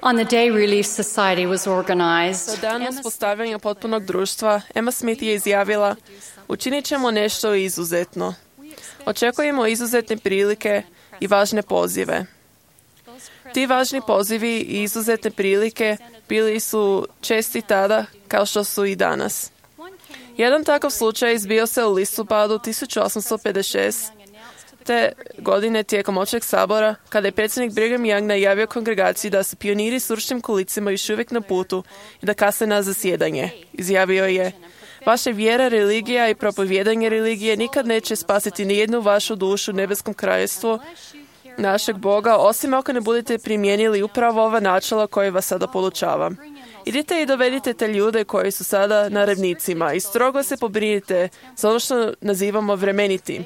On the day Relief Society was Za organized, dan uspostavljanja potpunog društva, Emma Smith je izjavila: učinit ćemo nešto izuzetno. Očekujemo izuzetne prilike i važne pozive. Ti važni pozivi i izuzetne prilike bili su česti tada kao što su i danas. Jedan takav slučaj izbio se u listopadu 1856. te godine tijekom Općeg sabora, kada je predsjednik Brigham Young najavio kongregaciji da su pioniri s ručnim kolicima još uvijek na putu i da kasne na zasjedanje. Izjavio je: vaša vjera, religija i propovijedanje religije nikad neće spasiti nijednu vašu dušu u nebeskom kraljevstvu našeg Boga, osim ako ne budete primijenili upravo ova načela koje vas sada podučavam. Idite i dovedite te ljude koji su sada na ravnicima i strogo se pobrinite za ono što nazivamo vremenitim.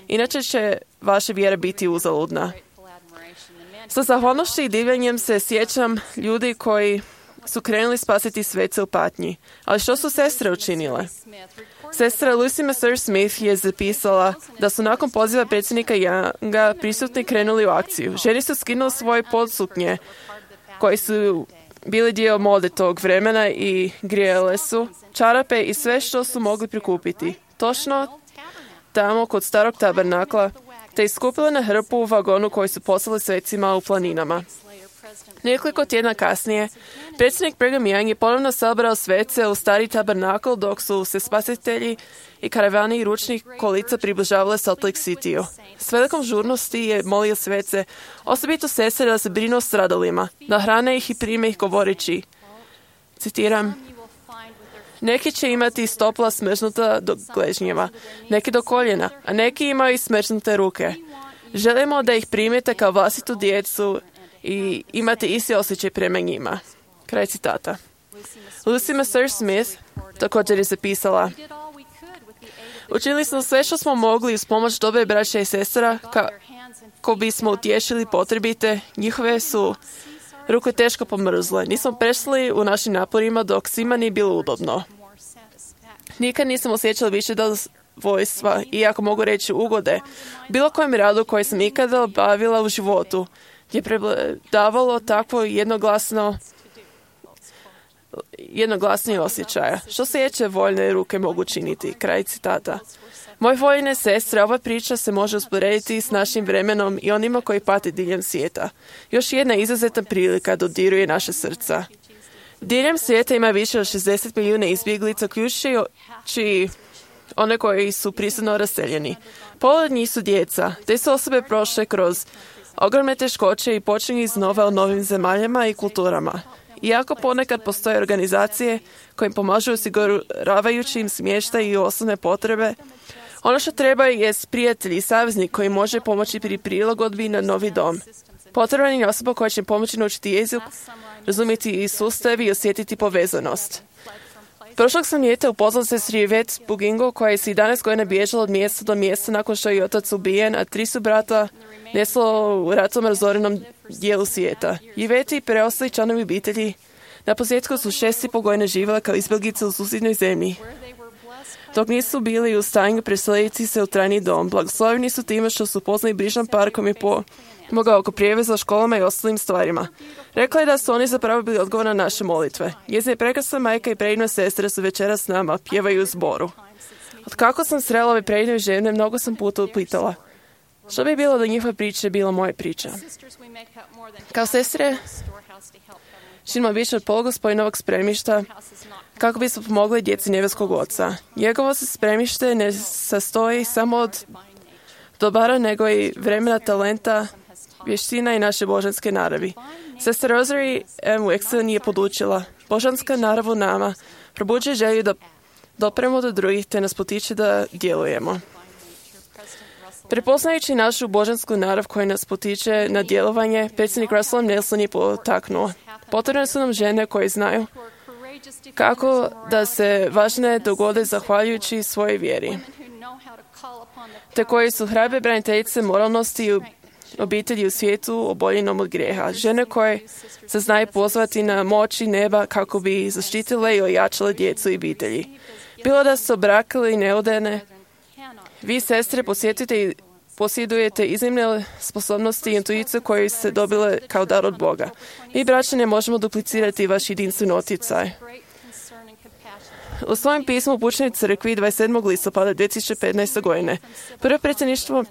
Inače će vaša vjera biti uzaludna. Sa zahvalnošću i divljenjem se sjećam ljudi koji su krenuli spasiti svece u patnji. Ali što su sestre učinile? Sestra Lucy Messer Smith je zapisala da su nakon poziva predsjednika Younga prisutni krenuli u akciju. Žene su skinule svoje podsuknje koji su bili dio mode tog vremena i grijele su čarape i sve što su mogli prikupiti. Točno tamo kod starog tabernakla, te iskupile na hrpu u vagonu koji su poslali svecima u planinama. Nekoliko tjedna kasnije, predsjednik Brigham Young je ponovno sabrao svece u stari tabernakl dok su se spasitelji i karavani i ručnih kolica približavale Salt Lake City-u. S velikom žurnosti je molio svece, osobito sestre, da se brinu o stradalima, da hrane ih i prime ih govoreći, citiram: neki će imati stopala smrznuta do gležnjeva, neki do koljena, a neki imaju i smrznute ruke. Želimo da ih primite kao vlastitu djecu i imate isti osjećaj prema njima. Kraj citata. Lucy Messer Smith također je zapisala: učinili smo sve što smo mogli uz pomoć dobre braće i sestra kako bismo utješili potrebite. Njihove su ruke teško pomrzle. Nismo prešli u našim naporima dok svima nije bilo udobno. Nikad nisam osjećala više zadovoljstva, iako mogu reći ugode, bilo kojem radu koji sam ikada obavila u životu, je prevladavalo takvo jednoglasnije osjećaja. Što sjeće voljne ruke mogu činiti? Kraj citata. Moje voljene sestre, ova priča se može usporediti s našim vremenom i onima koji pate diljem svijeta. Još jedna izuzetna prilika dodiruje naše srca. Diljem svijeta ima više od 60 milijuna izbjeglica, uključujući one koji su prisilno raseljeni. Pola od njih su djeca. Te su osobe prošle kroz ogromne teškoće i počinju iznova u novim zemaljama i kulturama. Iako ponekad postoje organizacije koje im pomažu osiguravajući im smještaj i osnovne potrebe, ono što treba je prijatelj i saveznik koji može pomoći pri prilagodbi na novi dom. Potreban je osoba koja će im pomoći naučiti jezik, razumjeti i sustav i osjetiti povezanost. Prošlog sam ljeta upoznala se s Yvette Bugingo, koja je se 11 godina bježala od mjesta do mjesta nakon što je otac ubijen, a 3 su brata neslo u ratom razorenom dijelu svijeta. Yvette i preostali članovi obitelji na posljedku su 6,5 godina živjela kao izbjeglice u susjednoj zemlji. Dok nisu bili u stanju preseliti se u trajni dom, blagosloveni su time što su poznali brižan par koji je pomogao oko prijevoza, školama i ostalim stvarima. Rekla je da su oni zapravo bili odgovor na naše molitve. Njezina prekrasna majka i predivna sestra su večeras s nama, pjevaju u zboru. Od kako sam srela ove predivne žene, mnogo sam puta upitala: što bi bilo da njihova priča je bila moja priča? Kao sestre činimo više od pola Gospodinovog spremišta kako bismo pomogli djeci nebeskog Oca. Njegovo se spremište ne sastoji samo od dobara, nego i vremena, talenta, vještina i naše božanske naravi. Sestra Rosemary M. Wexton je podučila: božanska narav u nama probuđuje želju da dopremo do drugih te nas potiče da djelujemo. Prepoznajući našu božansku narav koja nas potiče na djelovanje, predsjednik Russell Nelson je potaknuo: potrebne su nam žene koje znaju kako da se važne dogode zahvaljujući svojoj vjeri, te koji su hrabre braniteljice moralnosti i obitelji u svijetu oboljenom od grijeha. Žene koje se znaju pozvati na moći neba kako bi zaštitile i ojačale djecu i obitelji. Bilo da su obrakali i neudane, vi, sestre, posjetite i posjedujete iznimne sposobnosti i intuiciju koje ste dobile kao dar od Boga. Mi, braća, ne možemo duplicirati vaš jedinstven utjecaj. U svojem pismu upućenoj crkvi 27. listopada 2015. godine prvo predsjedništvo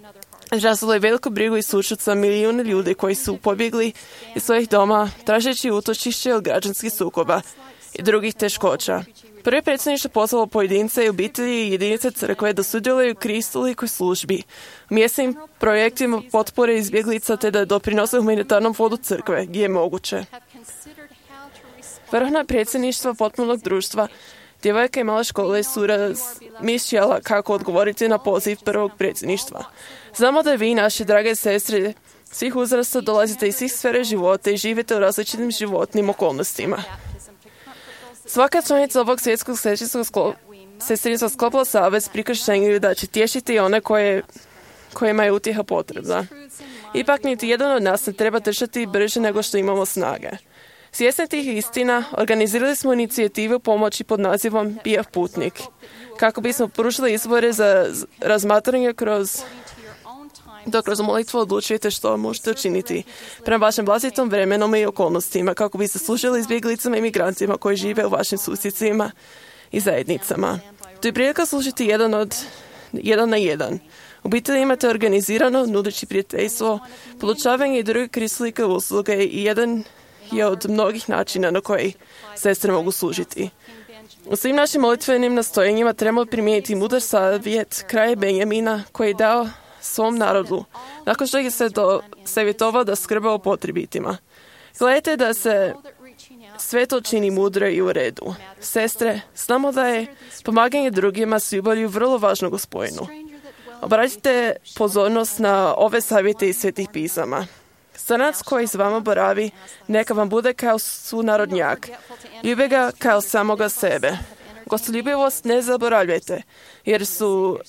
izrazilo je veliku brigu i sućut za milijune ljudi koji su pobjegli iz svojih doma tražeći utočište od građanskih sukoba i drugih teškoća. Prvo predsjedništvo pozvalo pojedince i obitelji i jedinice crkve da sudjeluju u kristolikoj službi, u mjesnim projektima potpore izbjeglica te da doprinose humanitarnom fondu crkve gdje je moguće. Vrhovno predsjedništvo potpunog društva djevojka i mala škole su razmišljala kako odgovoriti na poziv prvog predsjedništva. Znamo da vi, naše drage sestre, svih uzrasta dolazite iz svih sfere života i živite u različitim životnim okolnostima. Svaka članica ovog svjetskog sestrinstva sklopila savez pri krštenju da će tješiti one kojima je utjeha potrebna. Ipak niti jedan od nas ne treba trčati brže nego što imamo snage. Svjesni tih istina, organizirali smo inicijativu pomoći pod nazivom Bijav putnik, kako bismo pružili izbore za razmatranje dok kroz molitvu odlučujete što možete učiniti prema vašem vlastitom vremenom i okolnostima, kako biste služili izbjeglicama i migrantima koji žive u vašim susjedcima i zajednicama. To je prilika služiti jedan na jedan. Obitelji imate organizirano, nudeći prijateljstvo, podučavanje i druge kristolike usluge i jedan je od mnogih načina na koji sestre mogu služiti. U svim našim molitvenim nastojenjima trebamo primijeniti mudar savjet kraja Benjamina koji je dao svom narodu, nakon što ih se savjetovao da skrbe o potrebitima. Gledajte da se sve to čini mudro i u redu. Sestre, znamo da je pomaganje drugima s ljubavlju vrlo važno Gospodinu. Obratite pozornost na ove savjete iz Svetih pisama. Stranac koji s vama boravi, neka vam bude kao sunarodnjak. Ljube ga kao samoga sebe. Gostoljubivost ne zaboravljajte, jer su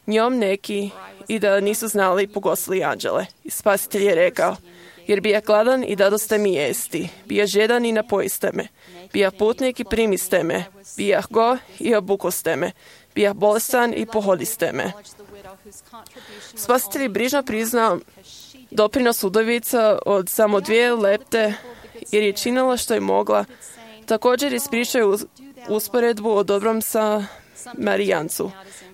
njom neki i da nisu znali pogostili anđele. I Spasitelj je rekao, jer bija gladan i dadoste mi jesti, bija žedan i napojiste me, bija putnik i primiste me, bija go i obukoste me, bija bolestan i pohodiste me. Spasitelj je brižno priznao doprinos udovica od samo 2 lepte, jer je činila što je mogla. Također ispričaju usporedbu o dobrom Samarijancu,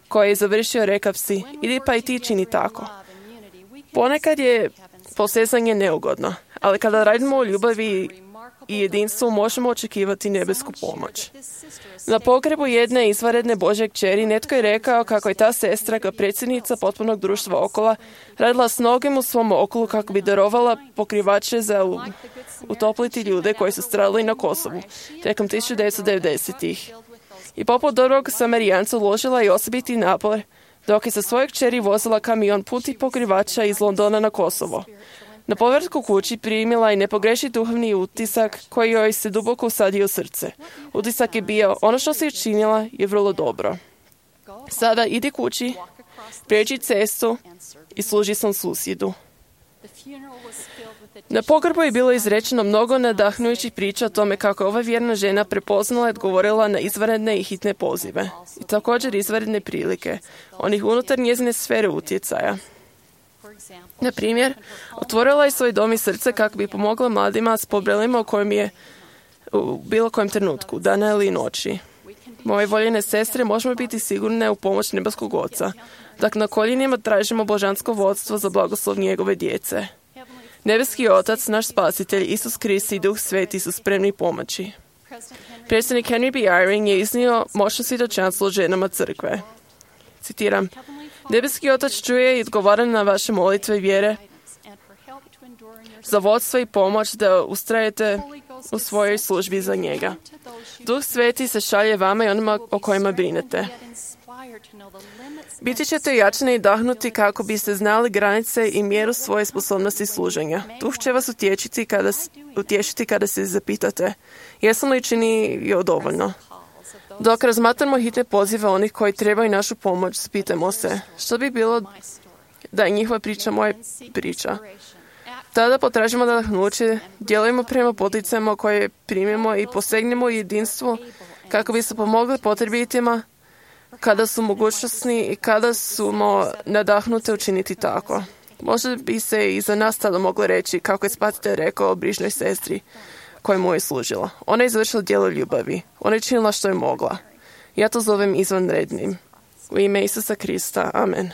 koji je završio rekavsi, idi pa i ti čini tako. Ponekad je posezanje neugodno, ali kada radimo o ljubavi i jedinstvu možemo očekivati nebesku pomoć. Na pogrebu jedne izvanredne Božje kćeri netko je rekao kako je ta sestra kao predsjednica potpunog društva Okola radila s mnogim u svom okolu kako bi darovala pokrivače za utopliti ljude koji su stradali na Kosovu tijekom 1990-ih. I poput dobrog Samarijanca uložila i osobiti napor dok je sa svojeg kćeri vozila kamion putih pokrivača iz Londona na Kosovo. Na povratku kući primila i nepogrešiv duhovni utisak koji joj se duboko usadio u srce. Utisak je bio, ono što si učinila je vrlo dobro. Sada idi kući, prijeđi cestu i služi svom susjedu. Na pogrbu je bilo izrečeno mnogo nadahnujućih priča o tome kako ova vjerna žena prepoznala i odgovorila na izvanredne i hitne pozive. I također izvanredne prilike, onih unutar njezine sfere utjecaja. Na primjer, otvorila je svoj dom i srce kako bi pomogla mladima s problemima u kojem je u bilo kojem trenutku, dana ili noći. Moje voljene sestre, možemo biti sigurne u pomoć nebeskog Oca, dok na koljenima tražimo božansko vodstvo za blagoslov njegove djece. Nebeski Otac, naš Spasitelj, Isus Krist i Duh Sveti su spremni pomoći. Predsjednik Henry B. Eyring je iznio moćno svjedočanstvo o ženama crkve. Citiram, Nebeski Otac čuje i odgovara na vaše molitve i vjere za vodstvo i pomoć da ustrajete u svojoj službi za njega. Duh Sveti se šalje vama i onima o kojima brinete. Biti ćete jačani i dahnuti kako biste znali granice i mjeru svoje sposobnosti služenja. Duh će vas utješiti kada se zapitate, jesam li činio dovoljno? Dok razmatramo hitne pozive onih koji trebaju našu pomoć, pitajmo se, što bi bilo da je njihova priča moja priča? Tada potražimo nadahnuće, djelujemo prema poticajima koje primimo i posegnemo jedinstvo kako bi se pomogli potrebitima, kada su mogućnosti i kada smo nadahnute učiniti tako. Možda bi se i za nas tada moglo reći kako je Spasitelj rekao o brižnoj sestri koja mu je služila. Ona je izvršila djelo ljubavi. Ona je činila što je mogla. Ja to zovem izvanrednim. U ime Isusa Krista. Amen.